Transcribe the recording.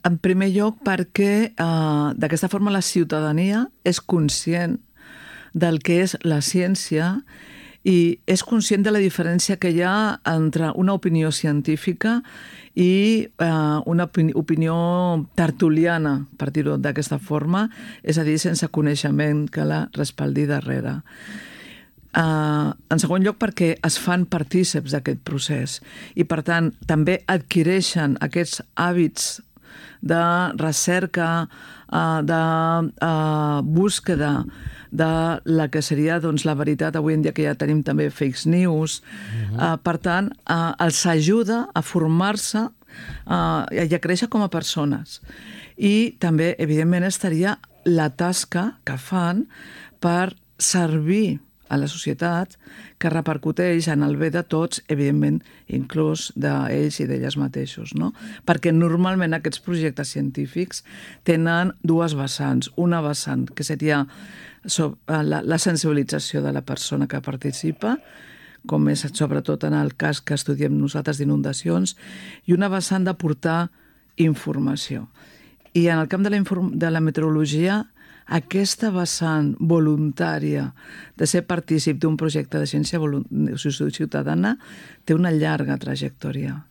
En primer lloc perquè d'aquesta forma la ciutadania és conscient del que és la ciència i és conscient de la diferència que hi ha entre una opinió científica i una opinió tertuliana, per dir-ho d'aquesta forma, és a dir, sense coneixement que la respaldi darrere. En segon lloc, perquè es fan partíceps d'aquest procés i, per tant, també adquireixen aquests hàbits de recerca, de búsqueda de la que seria la veritat. Avui en dia que ja tenim també fake news. Per tant, els ajuda a formar-se i a créixer com a persones. I també, evidentment, estaria la tasca que fan per servir a la societat, que repercuteix en el bé de tots, evidentment, inclús d'ells i d'elles mateixos, no? Perquè normalment aquests projectes científics tenen dues vessants. Una vessant, que seria la sensibilització de la persona que participa, com és sobretot en el cas que estudiem nosaltres d'inundacions, i una vessant d'aportar informació. I en el camp de la meteorologia, aquesta vessant voluntària de ser partícip d'un projecte de ciència ciutadana té una llarga trajectòria.